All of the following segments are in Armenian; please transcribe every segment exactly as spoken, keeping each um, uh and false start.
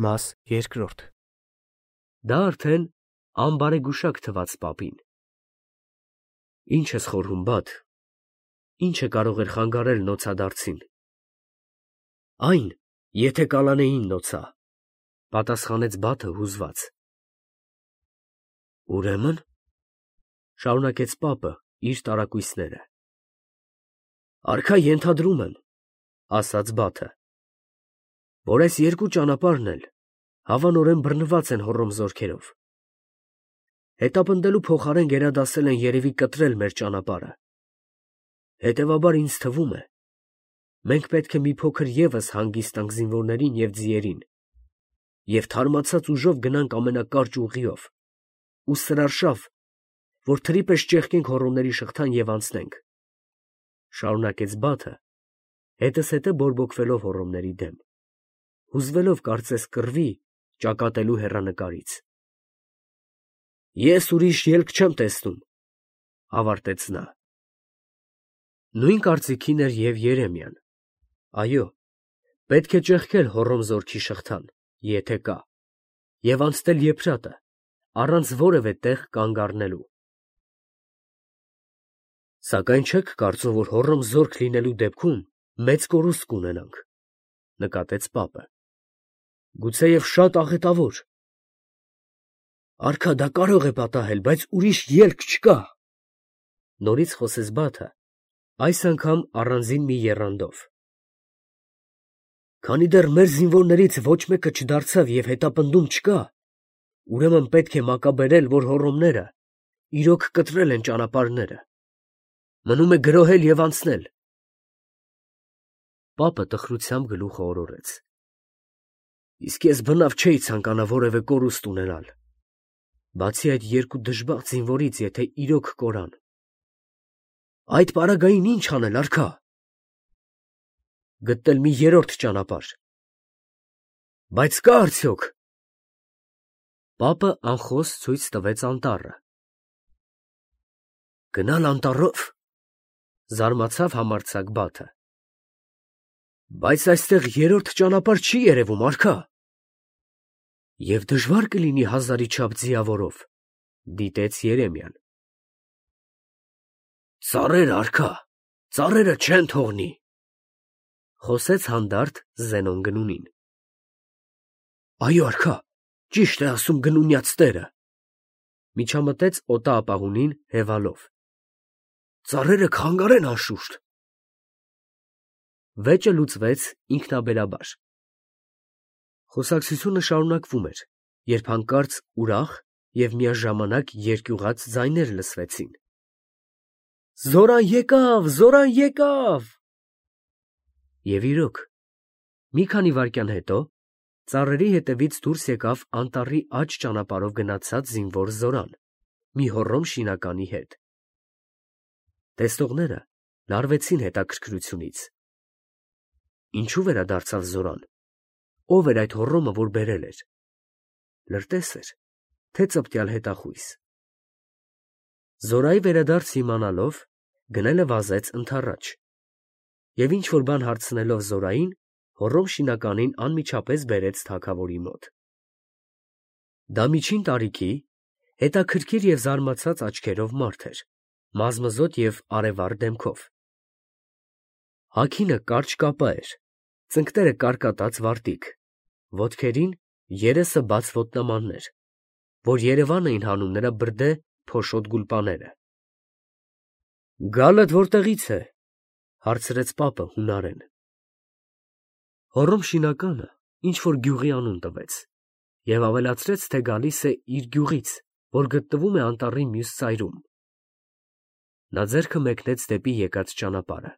Մաս երկրորդ Դա արդեն անբարեգուշակ թվաց պապին։ Ինչ ես խորհում, բադ, ինչը կարող էր խանգարել նոցադարձին։ Այն, եթե կալանեին նոցա, պատասխանեց բաթը հուզված։ Ուրեմն, շարունակեց պապը իր տարակույսները։ Արքա ենթադրում եմ, ասաց բաթը, որ այս երկու ճանապարհն էլ հավանորեն բռնված են հոռոմ զորքերով։ Հետապնդելու փոխարեն գերադասել են երևի կտրել մեր ճանապարհը։ Հետևաբար ինձ թվում է, մենք պետք է մի փոքր ևս հանգիստանք զինվորներին և ձիերին և թարմացած ուժով գնանք ամենակարճ ուղիով ու սրարշավ, որ թրի պես ճեղքենք հոռոմների շղթան և անցնենք, շարունակեց բաթը, հետզհետե բորբոքվելով հոռոմների դեմ, հուզվելով կարծես կռվի ճակատելու հեռանկարից։ Ես ուրիշ ելք չեմ տեսնում, ավարտեց նա։ Նույն կարծիքին էր և Երեմիան։ Այո, պետք է ճեղքել հոռոմ զորքի շղթան, եթե կա, և անցնել Եփրատը, առանց որևէ տեղ կանգ առնելու։ Սակայն չեք կարծում, որ հոռոմ զորք լինելու դեպքում մեծ կորուստ կունենանք, նկատեց պապը։ Գուցեև շատ աղետավոր։ Արքա, դա կարող է պատահել, բայց ուրիշ ելք չկա, նորից խոսեց բաթը, այս անգամ առանձին մի եռանդով։ Քանի դեռ մեր զինվորներից ոչ մեկը չդարձավ և հետապնդում չկա, ուրեմն պետք է մակաբերել, որ հոռոմները իրոք կտրել են ճանապարհները։ Մնում է գրոհել և անցնել։ Պապը տխրությամբ գլուխը օրորեց։ Իսկ ես բնավ չէի ցանկանա որևէ կորուստ ունենալ, բացի այդ երկու դժբախտ զինվորից, եթե իրոք կորան։ Այդ պարագային ի՞նչ անել, արքա։ Գտնել մի երրորդ ճանապարհ։ Բայց կա՞ արդյոք։ Պապը անխոս ցույց տվեց անտառը։ Գնալ անտառով, զարմացավ համարձակ բաթը։ Բայց այստեղ երրորդ ճանապարհ չի երևում, արքա։ Եվ դժվար կլինի հազարի չափ ձիավորով, դիտեց Երեմիան։ Ծառեր, արքա, ծառերը չեն թողնի, խոսեց հանդարտ Զենոն գնունին։ Այո, արքա, ճիշտ է ասում գնունյաց տերը, միջամտեց օտաապահունին հևալով։ Ծառերը կխանգարեն անշուշտ։ Վեճը լուծվեց ինքնաբերաբար։ Խոսակցությունը շարունակվում էր, երբ հանկարծ ուրախ և միաժամանակ երկյուղած ձայներ լսվեցին։ Զորան եկավ, Զորան եկավ։ Եվ իրոք, մի քանի վայրկյան հետո ծառերի հետևից դուրս եկավ անտառի աջ ճանապարհով գնացած զինվոր Զորան, մի հոռոմ շինականի հետ։ Տեսնողները լարվեցին հետաքրքրությունից։ Ինչու վերադարձավ Զորան։ Ո՞վ էր այդ հոռոմը, որ բերել էր։ Լրտես էր, թե ծպտյալ հետախույզ։ Զորայի վերադարձը իմանալով, գնելը վազեց ընդառաջ, և ինչ-որ բան հարցնելով Զորային, հոռոմ շինականին անմիջապես բերեց թագավորի մոտ։ Դա միջին տարիքի, հետաքրքիր և զարմացած աչքերով մարդ էր, մազմզոտ և արևառ դեմքով։ Հագինը կարճ կապա էր, ծնկները կարկատած վարտիք, ոտքերին երեսը բաց ոտնամաններ, որ Երևան էին հանում նրա բրդե փոշոտ գուլպաները։ Գալդ որտեղից է, հարցրեց պապը հունարեն։ Հոռոմ շինականը ինչ-որ գյուղի անուն տվեց և ավելացրեց, թե գալիս է իր գյուղից, որ գտնվում է անտառի մյուս ծայրում։ Նա ձեռքը մեկնեց դեպի եկած ճանապարհը։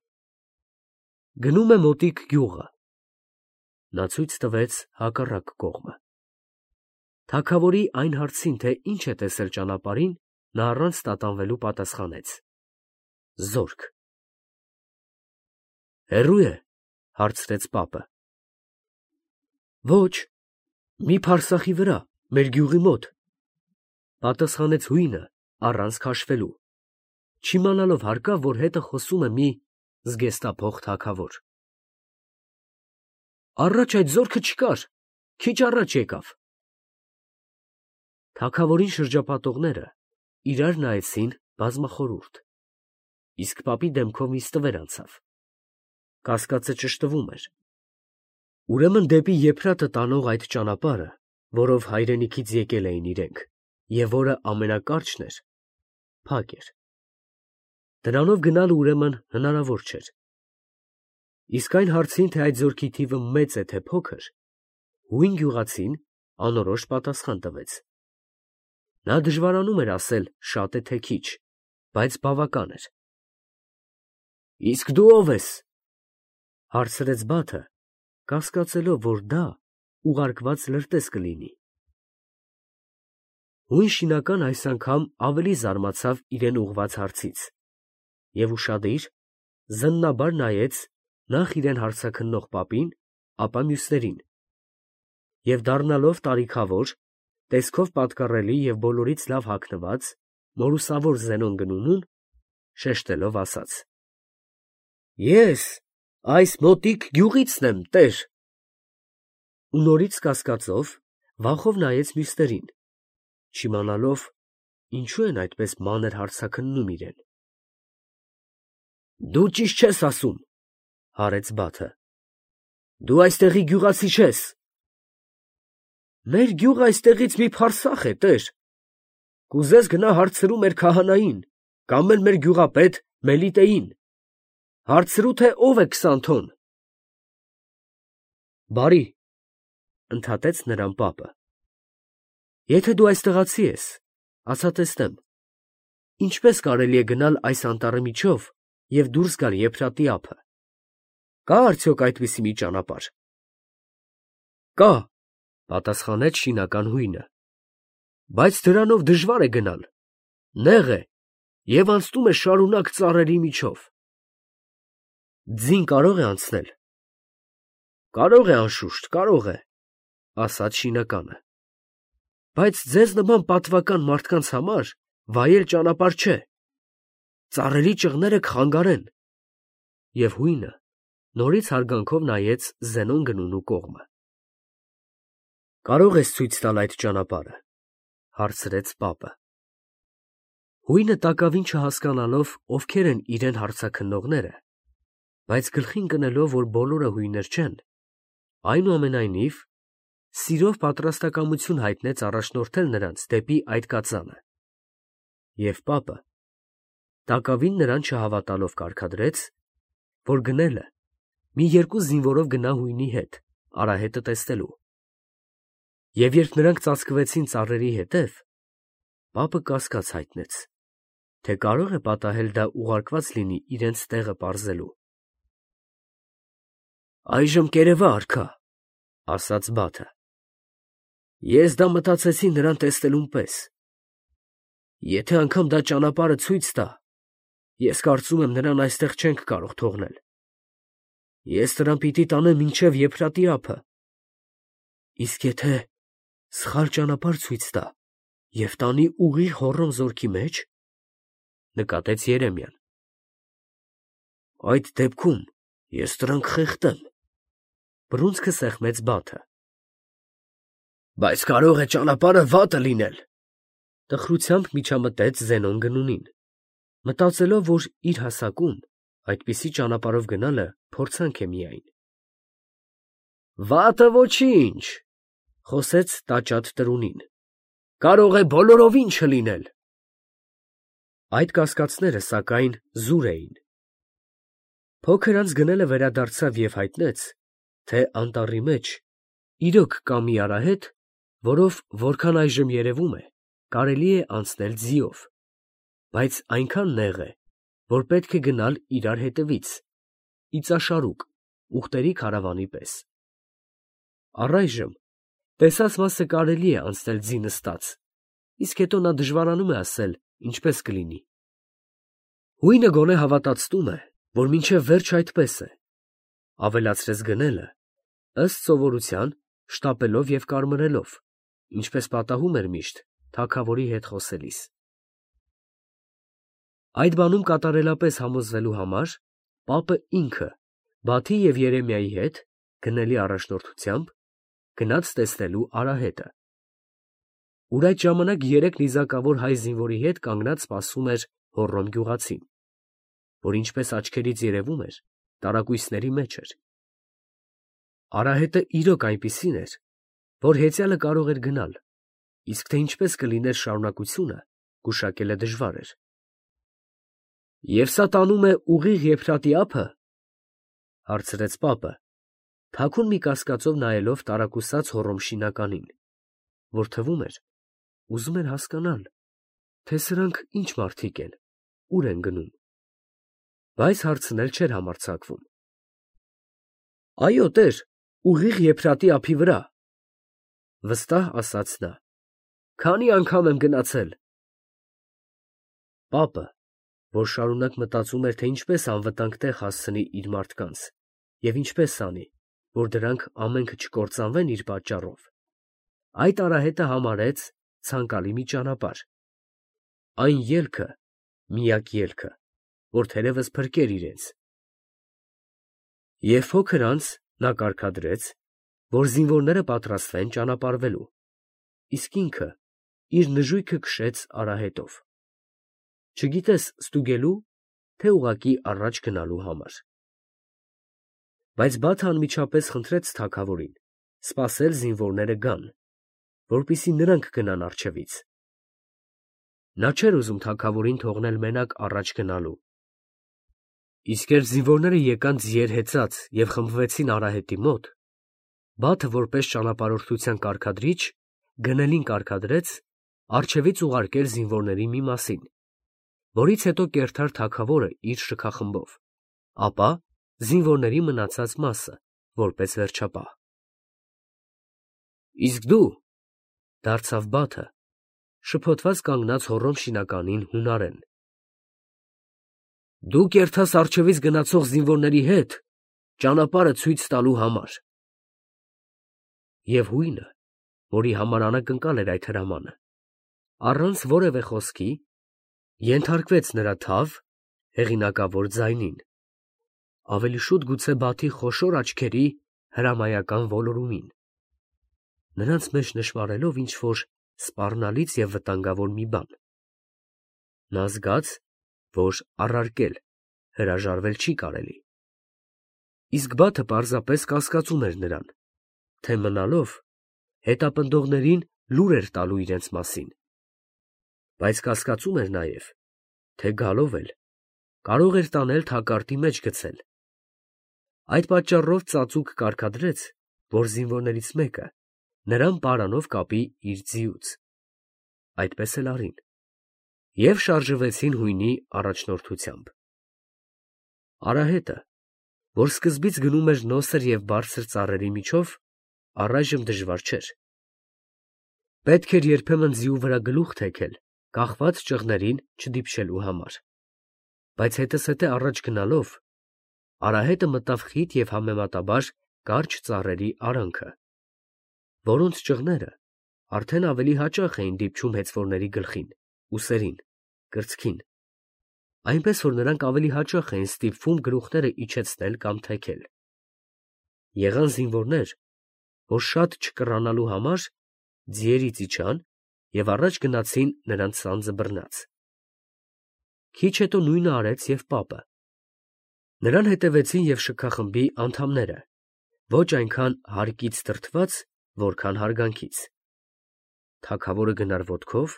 Գնում է մոտիկ գյուղը։ Նա ցույց տվեց հակառակ կողմը։ Թագավորի այն հարցին, թե ինչ է տեսել ճանապարհին, նա առանց տատանվելու պատասխանեց. Զորք։ Հեռո՞ւ է, հարցրեց պապը։ Ոչ, մի փարսախի վրա, մեր գյուղի մոտ, պատասխանեց հույնը առանց քաշվելու, չիմանալով հարկավ, որ հետը խոսում է մի զգեստափող թագավոր։ Առաջ այդ զորքը չկար, քիչ առաջ եկավ։ Թագավորին շրջապատողները իրար նայեցին բազմախորհուրդ, իսկ պապի դեմքով մի ստվեր անցավ։ Կասկածը ճշտվում էր։ Ուրեմն դեպի Եփրատը տանող այդ ճանապարհը, որով հայրենիքից եկել էին իրենք, և որը ամենակարճն էր, փակ էր։ Դրանով գնալը ուրեմն հնարավոր չէր։ Իսկ այն հարցին, թե այդ զորքի թիվը մեծ է, թե փոքր, հույն գյուղացին անորոշ պատասխան տվեց։ Նա դժվարանում էր ասել շատ է, թե քիչ, բայց բավական էր։ Իսկ դու ո՞վ ես, հարցրեց Բաթը, կասկածելով, որ դա ուղարկված լրտես կլինի։ Հույն շինական այս անգամ ավելի զարմացավ իրեն ուղղված հարցից և ուշադիր, զննաբար նայեց նախ իրեն հարցաքննող պապին, ապա մյուսներին, և դառնալով տարիքավոր, տեսքով պատկառելի և բոլորից լավ հագնված, մորուսավոր Զենոն գնունուն, շեշտելով ասաց. Ես այս մոտիկ գյուղիցն եմ, տեր։ Ու նորից կասկածով, վախով նայեց մյուսներին, չիմանալով, ինչու են այդպես մանր հարցաքննում իրեն։ Դու ճիշտ չես ասում, հարեց Բաթը։ Դու այստեղի գյուղացի չես։ Մեր գյուղը այստեղից մի փարսախ է, տեր։ Կուզես գնա հարցրու մեր քահանային, կամ էլ մեր գյուղապետ Մելիտեին, հարցրու, թե ով է Քսանթոն։ Բարի, ընդհատեց նրան պապը։ Եթե դու այստեղացի ես, ասա տեսնեմ, ինչպես կարելի է գնալ այս անտառի միջով և դուրս գալ Եփրատի ափը։ Կա՞ արդյոք այդպիսի մի ճանապարհ։ Կա, պատասխանեց շինական հույնը, բայց դրանով դժվար է գնալ, նեղ է և անցնում է շարունակ ծառերի միջով։ Ձին կարո՞ղ է անցնել։ Կարող է, անշուշտ, կարող է, ասաց շինականը, բայց ձեզ նման պատվական մարդկանց համար վայել ճանապարհ չէ։ Ծառերի ճղները կխանգարեն։ Եվ հույնը նորից հարգանքով նայեց Զենոն գնունու կողմը։ Կարո՞ղ ես ցույց տալ այդ ճանապարհը, հարցրեց պապը։ Հույնը տակավին չհասկանալով ովքեր են իրեն հարցաքննողները, բայց գլխին կնելով, որ բոլորը հույներ չեն, այնուամենայնիվ սիրով պատրաստակամություն հայտնեց առաջնորդել նրանց դեպի այդ կածանը։ Եվ պապը, տակավին նրան չհավատալով կարգադրեց, որ գնելը մի երկու զինվորով գնա հույնի հետ, արահետը տեսնելու։ Եվ երբ նրանք ծածկվեցին ծառերի հետև, պապը կասկած հայտնեց, թե կարող է պատահել դա ուղարկված լինի իրենց տեղը պարզելու։ Այժմ կերևա, արքա, ասաց Բաթը։ Ես դա մտածեցի նրան տեսնելուն պես։ Եթե անգամ դա ճանապարհը ցույց տա, ես կարծում եմ նրան այստեղ չենք կարող թողնել։ Ես նրան պիտի տանեմ մինչև Եփրատի ափը։ Իսկ եթե սխալ ճանապարհ ցույց տա և տանի ուղիղ Հոռոմ զորքի մեջ, նկատեց Երեմիան, այդ դեպքում ես նրան կխեղդեմ, բռունցքը սեղմեց Բաթը։ Բայց կարող է ճանապարհը վատը լինել, տխրությամբ միջամտեց Զենոն գնունին, մտածելով, որ իր հասակում այդպիսի ճանապարհով գնալը փորձանք է միայն։ Վատը ոչինչ, խոսեց տաճատ տրունին, կարող է բոլորովին չլինել։ Այդ կասկածները, սակայն, զուր էին։ Փոքր անց գնելը վերադարձավ և հայտնեց, թե անտառի մեջ իրոք կա մի արահետ, որով, որքան այժմ երևում է, կարելի է անցնել ձիով, բայց այնքան նեղ է, որ պետք է գնալ իրար հետևից, իծաշարուկ, ուղտերի քարավանի պես։ Առայժմ տեսած մասը կարելի է անցնել ձի նստած, իսկ հետո նա դժվարանում է ասել ինչպես կլինի։ Հույնը գոնե հավատացնում է, որ մինչև վերջ այդպես է, ավելացրեց գնելը, ըստ սովորության, շտապելով և կարմրելով, ինչպես պատահում էր միշտ թագավորի հետ խոսելիս։ Այդ բանում կատարելապես համոզվելու համար պապը ինքը, Բաթի և Երեմիայի հետ, գնելի առաջնորդությամբ, գնաց տեսնելու Արահետը, ուր այդ ժամանակ երեք նիզակավոր հայ զինվորի հետ կանգնած սպասում էր Հոռոմ գյուղացին, որ ինչպես աչքերից երևում էր, տարակույսների մեջ էր։ Արահետը իրոք այնպիսին էր, որ հեծյալը կարող էր գնալ, իսկ թե ինչպես կլիներ շարունակությունը, գուշակելը դժվար էր։ Եվ սա տանում է ուղիղ Եփրատի ափը, հարցրեց պապը, թաքուն մի կասկածով նայելով տարակուսած Հոռոմ շինականին, որ թվում էր, ուզում էր հասկանալ, թե սրանք ինչ մարդիկ են, ուր են գնում, բայց հարցնել չէր համարձակվում։ Այո, տեր, ուղիղ Եփրատի ափի վրա, վստահ ասաց նա, քանի անգամ եմ գնացել։ Պապը, որ շարունակ մտածում էր, թե ինչպես անվտանգ տեղ հասցնի իր մարդկանց և ինչպես անի, որ դրանք ամենքը չկործանվեն իր պատճառով, այդ արահետը համարեց ցանկալի մի ճանապարհ, այն ելքը, միակ ելքը, որ թերևս փրկեր իրենց։ Եվ փոքր անց նա կարգադրեց, որ զինվորները պատրաստվեն ճանապարհվելու, իսկ ինքը իր նժույգը քշեց արահետով, չգիտես ստուգելու, թե ուղղակի առաջ գնալու համար։ Բայց Բաթը անմիջապես խնդրեց թագավորին սպասել զինվորները գան, որպեսզի նրանք գնան առջևից։ Նա չէր ուզում թագավորին թողնել մենակ առաջ գնալու։ Իսկ երբ զինվորները եկան ձիեր հեծած և խմբվեցին արահետի մոտ, Բաթը որպես ճանապարհորդության կարգադրիչ գնելին կարգադրեց առջևից ուղարկել զինվորների մի մասին, որից հետո կերթար թագավորը իր շքախմբով, ապա զինվորների մնացած մասը, որպես վերջապահ։ Իսկ դու, դարձավ Բաթը, շփոթված կանգնած Հոռոմ շինականին հունարեն, դու կերթաս առջևից գնացող զինվորների հետ ճանապարհը ցույց տալու համար։ Եվ հույնը, որի համար անակնկալ էր այդ հրամանը, առանց որևէ խոսքի, ենթարկվեց նրա թավ, հեղինակավոր ձայնին, ավելի շուտ գուցե Բաթի խոշոր աչքերի հրամայական ոլորումին, նրանց մեջ նշմարելով ինչ-որ սպառնալից և վտանգավոր մի բան։ Նա զգաց, որ առարկել, հրաժարվել չի կարելի։ Իսկ Բաթը պարզապես կասկածում էր նրան, թե մնալով հետապնդողներին լուր էր տալու իրենց մասին, բայց կասկածում էր նաև, թե գալով էլ կարող էր տանել թակարդի մեջ գցել։ Այդ պատճառով ծածուկ կարգադրեց, որ զինվորներից մեկը նրան պարանով կապի իր ձիուց։ Այդպես էլ արին, և շարժվեցին հույնի առաջնորդությամբ։ Արահետը, որ սկզբից գնում էր նոսր և բարձր ծառերի միջով, առայժմ դժվար չէր։ Պետք էր երբեմն ձիու վրա գլուխ թեքել կախված ճղներին չդիպչելու համար, բայց հետզհետե առաջ գնալով, արահետը մտավ խիտ և համեմատաբար կարճ ծառերի արանքը, որոնց ճղները արդեն ավելի հաճախ էին դիպչում հեծվորների գլխին, ուսերին, կրծքին, այնպես որ նրանք ավելի հաճախ էին ստիպվում գլուխները իջեցնել կամ թեքել։ Եղան զինվորներ, որ շատ չկռանալու համար ձիերից իջան և առաջ գնացին նրանց սանձը բռնած։ Քիչ հետո նույնը արեց և պապը։ Նրան հետևեցին և շքախմբի անդամները, ոչ այնքան հարկից դրդված, որքան հարգանքից։ Թագավորը գնար ոտքով,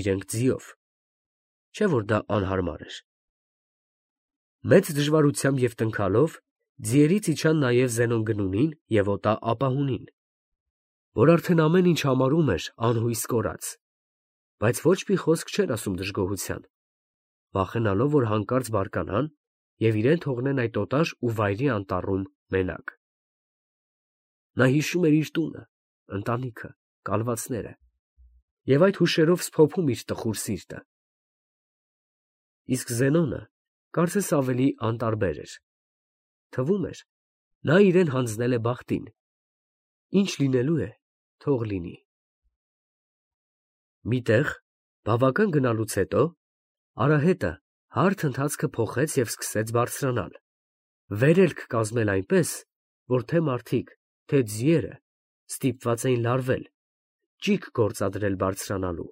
իրենք ձիով, չէ՞ որ դա անհարմար էր։ Մեծ դժվարությամբ և տնքալով ձիերից իջան նաև Զենոն Գնունին և Օտա Ապահունին, որ արդեն ամեն ինչ համարում էր անհույս կորած, բայց ոչ մի խոսք չէր ասում դժգոհության, վախենալով, որ հանկարծ բարկանան և իրեն թողնեն այդ օտար ու վայրի անտառում մենակ։ Նա հիշում էր իր տունը, ընտանիքը, կալվածները և այդ հուշերով սփոփում իր տխուր սիրտը։ Իսկ Զենոնը կարծես ավելի անտարբեր էր, թվում էր, նա իրեն հանձնել է բախտին, ինչ լինելու է, թող լինի։ Մի տեղ, բավական գնալուց հետո, արահետը հարթ ընթացքը փոխեց և սկսեց բարձրանալ, վերելք կազմել այնպես, որ թե մարդիկ, թե ձիերը ստիպված էին լարվել, ճիգ գործադրել բարձրանալու։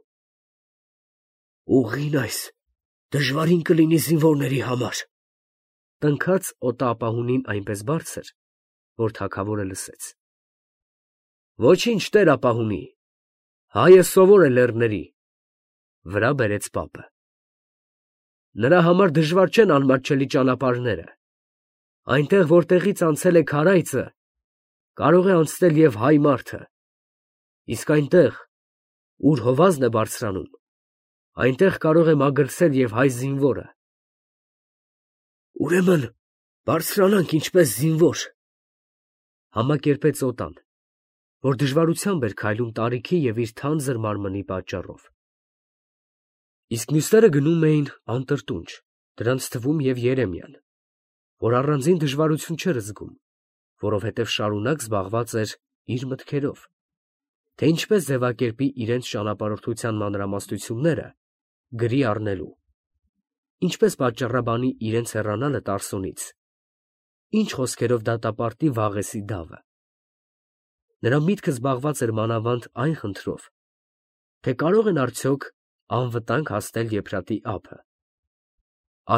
Ուղին այս դժվարին կլինի զինվորների համար, տնքաց օտապահունին այնպես բարձր, որ թագավորը լսեց։ Ոչինչ, տեր ապահունի, հայը սովոր է լեռների, վրա բերեց պապը։ Նրա համար դժվար չեն անմատչելի ճանապարհները, այնտեղ, որտեղից անցել է քարայծը, կարող է անցնել և հայ մարդը, իսկ այնտեղ, ուր հովազն է բարձրանում, այնտեղ կարող է մագլցել և հայ զինվորը։ Ուրեմն բարձրանանք ինչպես զինվոր, համակերպեց օտան, որ դժվարությամբ էր քայլում տարիքի և իր թանձր մարմնի պատճառով։ Իսկ մյուսները գնում էին անտրտունջ, դրանց թվում և Երեմիան, որ առանձին դժվարություն չէր զգում, որովհետև շարունակ զբաղված էր իր մտքերով, թե ինչպես ձևակերպի իրենց ճանապարհորդության մանրամասնությունները գրի առնելու, ինչպես պատճառաբանի իրենց հեռանալը Տարսոնից, ինչ խոսքերով դատապարտի Վաղեսի դավը։ Նրա միտքը զբաղված էր մանավանդ այն խնդրով, թե կարող են արդյոք անվտանգ հասնել Եփրատի ափը,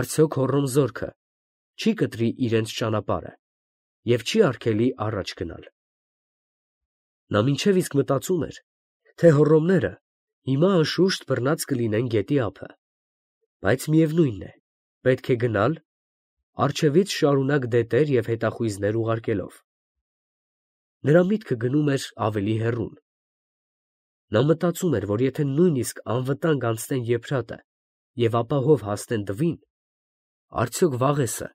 արդյոք Հոռոմ զորքը չի կտրի իրենց ճանապարհը և չի արգելի առաջ գնալ։ Նա մինչև իսկ մտածում էր, թե հոռոմները հիմա անշուշտ բռնած կլինեն գետի ափը, բայց միևնույն է, պետք է գնալ, առջևից շարունակ դետեր և հետախույզներ ուղարկելով։ Նրա միտքը գնում էր ավելի հեռուն։ Նա մտածում էր, որ եթե նույնիսկ անվտանգ անցնեն Եփրատը և ապահով հասնեն Դվին, արդյոք Վաղեսը,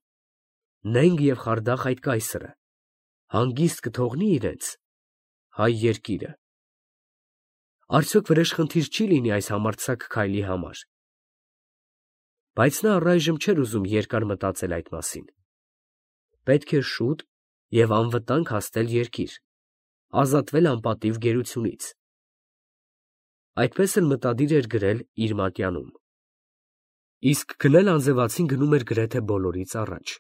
նենգ և խարդախ այդ կայսրը, հանգիստ կթողնի իրենց հայ երկիրը։ Արդյոք վրեժխնդիր չի լինի այս համարձակ քայլի համար։ Բայց նա առայժմ չէր ուզում երկար մտածել այդ մասին։ Պետք է շուտ և անվտանգ հասնել երկիր, ազատվել անպատիվ գերությունից։ Այդպես էլ մտադիր էր գրել իր մատյանում։ Իսկ քնել անձևացին գնում էր գրեթե բոլորից առաջ,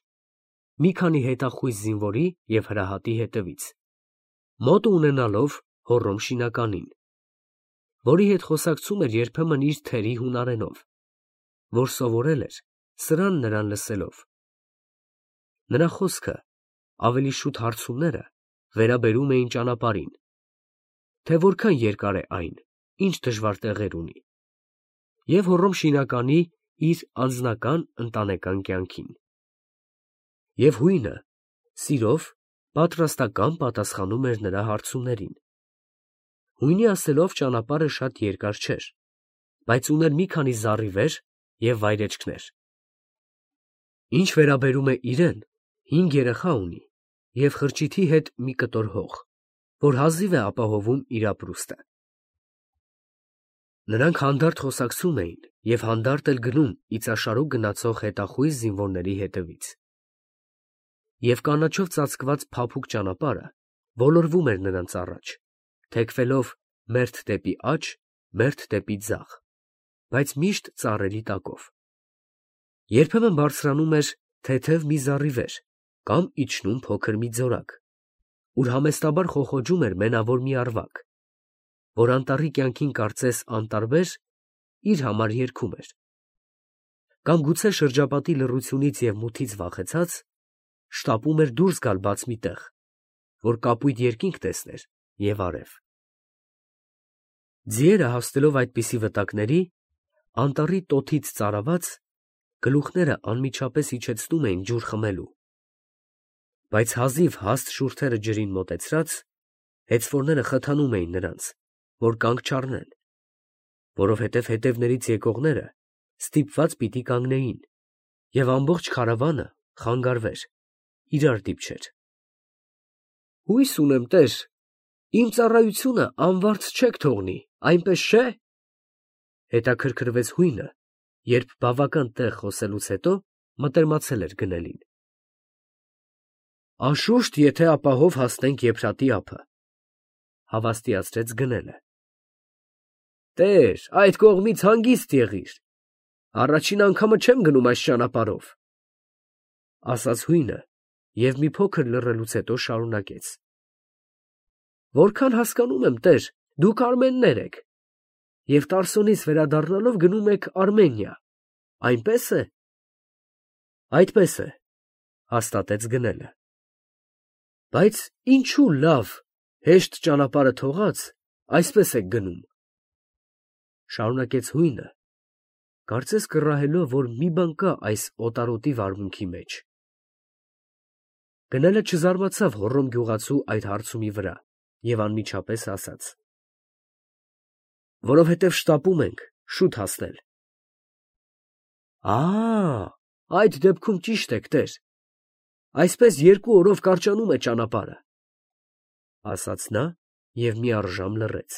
մի քանի հետախույզ զինվորի և հրահատի հետևից, մոտը ունենալով Հոռոմ շինականին, որի հետ խոսակցում էր երբեմն իր թերի հունարենով, որ սովորել էր սրան նրան լսելով։ Նրա խոսքը, ավելի շուտ հարցումները վերաբերում էին ճանապարհին, թե որքան երկար է այն, ինչ դժվար տեղեր ունի, և Հոռոմ շինականի իր անձնական ընտանեկան կյանքին։ Եվ հույնը սիրով, պատրաստակամ պատասխանում էր նրա հարցումներին։ Հույնի ասելով ճանապարհը շատ երկար չէր, բայց ուներ մի քանի զառիվեր և վայրէջքներ։ Ինչ վերաբերում է իրեն, հինգ երեխա ունի և խրճիթի հետ մի կտոր հող, որ հազիվ է ապահովում իր ապրուստը։ Նրանք հանդարտ խոսակցում էին և հանդարտ էլ գնում իծաշարուկ գնացող հետախույզ զինվորների հետևից։ Եվ կանաչով ծածկված փափուկ ճանապարհը ոլորվում էր նրանց առաջ, թեքվելով մերթ դեպի աջ, մերթ դեպի ձախ, բայց միշտ ծառերի տակով։ Երբեմն բարձրանում էր թեթև մի զառիվեր կամ իջնում փոքր մի ձորակ, ուր համեստաբար խոխոջում էր մենավոր մի ավարակ, որ անտառի կյանքին կարծես անտարբեր իր համար երգում էր, կամ գուցե շրջապատի լռությունից և մութից վախեցած շտապում էր դուրս գալ բաց մի տեղ, որ կապույտ երկինք տեսներ և արև։ Ձիերը հասնելով այդպիսի վտակների, անտառի տոթից ծարաված, գլուխները անմիջապես իջեցնում էին ջուր խմելու, բայց հազիվ հաստ շուրթերը ջրին մոտեցրած, հեծվորները խթանում էին նրանց, որ կանգ չառնեն, որովհետև հետևներից եկողները ստիպված պիտի կանգնեին, և ամբողջ քարավանը խանգարվեր, իրար դիպչեր։ Հույս ունեմ, տեր, իմ ծառայությունը անվարձ չեք թողնի, այնպես չէ՞, հետաքրքրվեց հույնը, երբ բավական տեղ խոսելուց հետո մտերմացել էր գնելին։ Անշուշտ, եթե ապահով հասնենք Եփրատի ափը, հավաստիացրեց գնելը։ Տեր, այդ կողմից հանգիստ եղիր, առաջին անգամը չեմ գնում այս ճանապարհով, ասաց հույնը և մի փոքր լռելուց հետո շարունակեց. Որքան հասկանում եմ, տեր, դուք արմեններ եք, և Տարսոնից վերադառնալով գնում եք Արմենիա, այնպե՞ս է։ Այդպես է, հաստատեց գնելը։ Բայց ինչու լավ, հեշտ ճանապարհը թողած, այսպես եք գնում, շարունակեց հույնը, կարծես կռահելով, որ մի բան կա այս օտարոտի վարմունքի մեջ։ Գնելը չզարմացավ Հոռոմ գյուղացու այդ հարցումի վրա և անմիջապես ասաց. որովհետև շտապում ենք շուտ հասնել։ Ա, այդ դեպքում ճիշտ եք, տեր, այսպես երկու օրով կարճանում է ճանապարհը, ասաց նա և մի առժամ լռեց։